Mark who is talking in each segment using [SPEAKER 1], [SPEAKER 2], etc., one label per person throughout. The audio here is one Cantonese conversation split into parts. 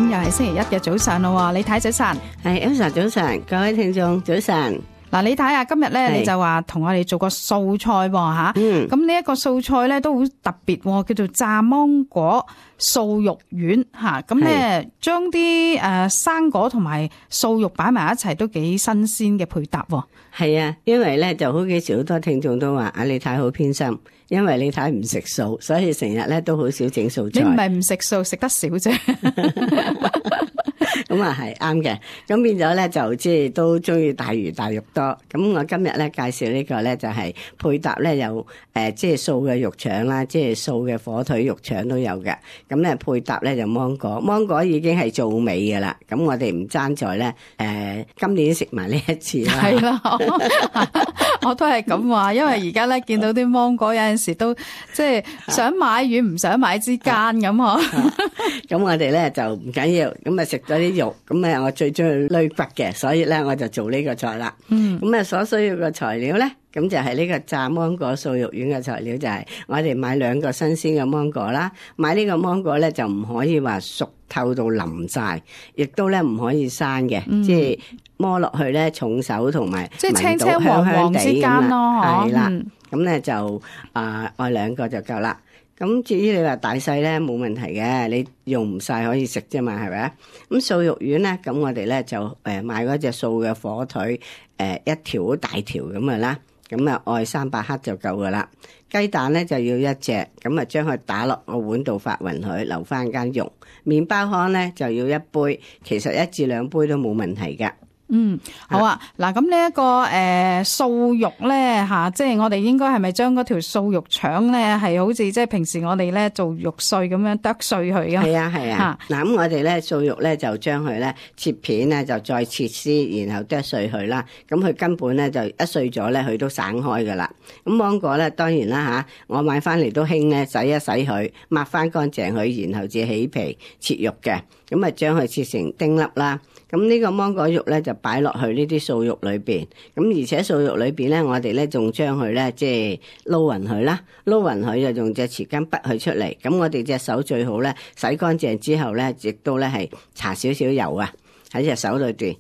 [SPEAKER 1] 咁又係星期一嘅早上咯，李太早晨。
[SPEAKER 2] 係 Elsa 早晨，各位聽眾早晨。
[SPEAKER 1] 嗱，李太啊，今日咧你就話同我哋做個素菜喎吓，咁呢一個素菜咧都好特別，叫做炸芒果素肉丸吓，咁咧將啲生果同埋素肉擺埋一齊，都幾新鮮嘅配搭。
[SPEAKER 2] 係啊，因為咧就好幾時好多聽眾都話李太好偏心，因為李太唔食素，所以成日咧都好少整素菜。
[SPEAKER 1] 你唔係唔食素，食得少啫。
[SPEAKER 2] 咁啊係啱嘅，咁變咗咧就即係都中意大魚大肉多。咁我今日咧介紹呢個咧就係配搭咧有即係素嘅肉腸啦，即係素嘅火腿肉腸都有嘅。咁咧配搭咧就芒果，芒果已經係做尾㗎啦。咁我哋唔爭在咧今年食埋呢一次啦。
[SPEAKER 1] 係啦，我都係咁話，因為而家咧見到啲芒果有陣時都即係想買與唔想買之間咁嗬。
[SPEAKER 2] 咁我哋咧就唔緊要，咁啊食咗啲肉，咁啊我最中意攣骨嘅，所以咧我就做呢個菜啦。咁啊所需要嘅材料咧，咁就係呢個炸芒果素肉丸嘅材料，就係我哋買2個新鮮嘅芒果啦。買呢個芒果咧就唔可以話熟透到腍晒，亦都咧唔可以生嘅，即係摸落去咧重手同埋
[SPEAKER 1] 即係青青黃黃之間咯，
[SPEAKER 2] 係啦。咁咧就愛2個就夠啦。咁至於你話大細咧冇問題嘅，你用唔晒可以食啫嘛，係咪啊？咁素肉丸咧，咁我哋咧就買嗰隻素嘅火腿一條好大條咁嘅啦，咁啊愛300克就夠噶啦。雞蛋咧就要1隻，咁啊將佢打落個碗度發勻佢，留翻間肉。麵包糠咧就要1杯，其實1至2杯都冇問題噶。
[SPEAKER 1] 好啊。嗱，咁呢一個素肉咧吓，即係我哋應該係咪將嗰條素肉腸咧係好似即係平時我哋咧做肉碎咁樣剁碎佢啊？
[SPEAKER 2] 係啊。嗱，咁我哋咧素肉咧就將佢咧切片咧就再切絲，然後剁碎佢啦。咁佢根本咧就一碎咗咧，佢都散開噶啦。咁芒果咧當然啦吓，我買翻嚟都興咧洗一洗佢，抹翻乾淨佢，然後至起皮切肉嘅。咁啊將佢切成丁粒啦。咁呢個芒果肉咧就擺落去呢啲素肉裏邊，咁而且素肉裏邊咧，我哋咧仲將佢咧即係撈勻佢啦，撈勻佢就用隻匙羹滗佢出嚟。咁我哋隻手最好咧洗乾淨之後咧，亦都咧係搽少少油啊喺隻手裏邊，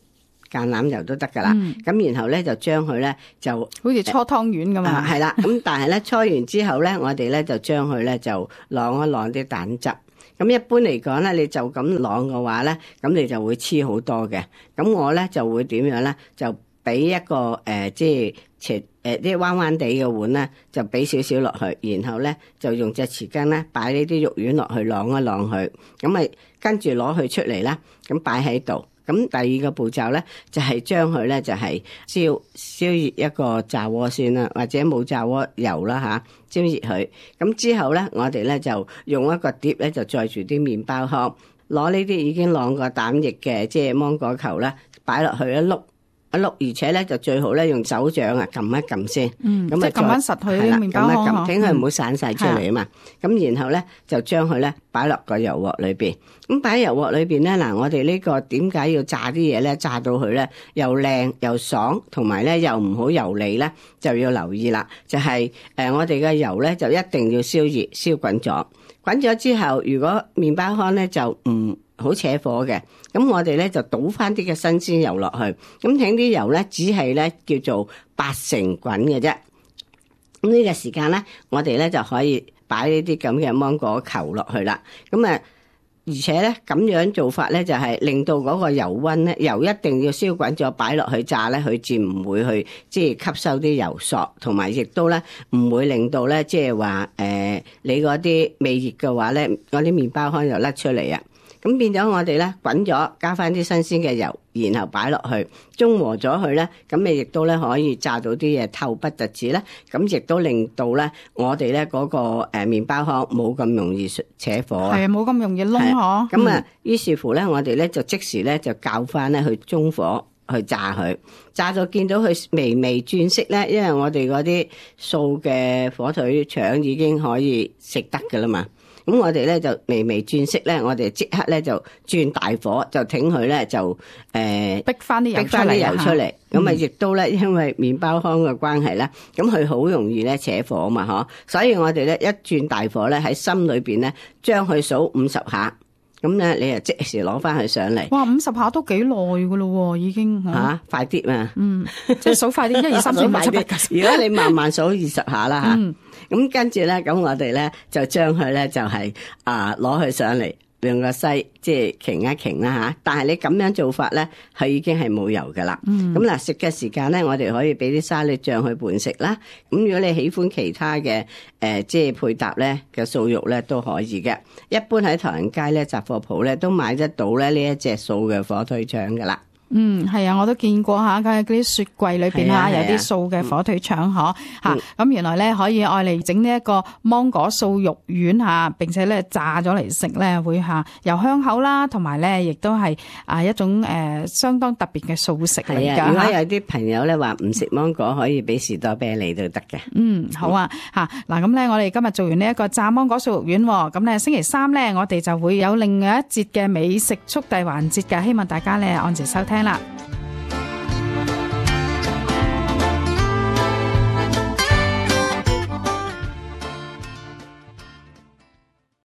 [SPEAKER 2] 橄欖油都得噶啦。咁然後咧就將佢咧就
[SPEAKER 1] 好似搓湯圓咁啊。
[SPEAKER 2] 係啦，咁但係咧搓完之後咧，我哋咧就將佢咧就晾一晾啲蛋汁。咁一般嚟講咧，你就咁晾嘅話咧，咁你就會黐好多嘅。咁我咧就會點樣咧？就俾一個即係啲彎彎地嘅碗咧，就俾少少落去，然後咧就用隻匙羹咧擺呢啲肉丸落去晾一晾佢，咁咪跟住攞佢出嚟啦，咁擺喺度。咁第2個步驟咧，就係將佢咧就係燒熱一個炸鍋先啦，或者冇炸鍋油啦嚇，燒熱佢。咁之後咧，我哋咧就用一個碟咧就載住啲麵包糠，攞呢啲已經晾過蛋液嘅即係芒果球啦，擺落去一碌，而且咧就最好咧用手掌啊撳一撳先，咁啊
[SPEAKER 1] 撳翻實佢啲麵包糠，
[SPEAKER 2] 等佢唔好散晒出嚟啊嘛。咁然後咧就將佢咧擺落個油鑊裏邊。咁擺喺油鑊裏邊咧，嗱我哋呢個點解要炸啲嘢咧？炸到佢咧又靚又爽，同埋咧又唔好油膩咧，就要留意啦。就係我哋嘅油咧就一定要燒熱燒滾咗。滾咗之後，如果麵包糠咧就唔好扯火嘅，咁我哋咧就倒翻啲嘅新鮮油落去，咁請啲油咧只係咧叫做8成滾嘅啫。咁呢個時間咧，我哋咧就可以擺呢啲咁嘅芒果球落去啦。咁而且咧咁樣做法咧就係令到嗰個油溫咧，油一定要燒滾咗擺落去炸咧，佢至唔會去即係吸收啲油索，同埋亦都咧唔會令到咧即係話你嗰啲未熱嘅話咧，嗰啲麵包糠又甩出嚟啊！咁變咗我哋咧滾咗，加翻啲新鮮嘅油，然後擺落去，中和咗佢咧，咁你亦都咧可以炸到啲嘢透不特止咧，咁亦都令到咧我哋咧嗰個麵包糠冇咁容易扯火啊，
[SPEAKER 1] 係啊，冇咁容易燶嗬。
[SPEAKER 2] 咁啊，於是乎咧，我哋咧就即時咧就較翻咧去中火去炸佢，炸到見到佢微微轉色咧，因為我哋嗰啲素嘅火腿腸已經可以食得噶啦嘛。咁我哋咧就微微轉色咧，我哋即刻咧就轉大火，就挺佢咧就
[SPEAKER 1] 逼翻啲油出嚟。
[SPEAKER 2] 咁啊，亦都咧因為麵包糠嘅關係啦，咁佢好容易咧扯火啊嘛，所以我哋咧一轉大火咧喺心裏邊咧將佢數50下。咁咧你就即時攞翻佢上嚟。
[SPEAKER 1] 哇，50下都幾耐噶咯，已經
[SPEAKER 2] 吓，快啲嘛。
[SPEAKER 1] 即係數快啲，1、2、3、4、5、6、7、8、9、10。
[SPEAKER 2] 如果你慢慢數20下啦吓，咁跟住咧，咁我哋咧就將佢咧就係攞佢上嚟。用個篩即係擎一擎啦吓，但係你咁樣做法咧，佢已經係冇油噶啦。咁嗱，食嘅時間咧，我哋可以俾啲沙律醬去拌食啦。咁如果你喜歡其他嘅即係配搭咧嘅素肉咧都可以嘅。一般喺唐人街咧雜貨鋪咧都買得到咧呢一隻素嘅火腿腸噶啦。
[SPEAKER 1] 係啊，我都見過吓，嗰啲雪櫃裏邊有啲素嘅火腿腸嗬吓，咁原來咧可以愛嚟整呢一個芒果素肉丸吓，並且咧炸咗嚟食咧會吓又香口啦，同埋咧亦都係一種相當特別嘅素食嚟㗎。
[SPEAKER 2] 如果有啲朋友咧話唔食芒果，可以俾士多啤梨都得嘅。
[SPEAKER 1] 好啊吓，嗱咁咧我哋今日做完呢一個炸芒果素肉丸，咁咧星期三咧我哋就會有另外一節嘅美食速遞環節嘅，希望大家咧按時收聽啦。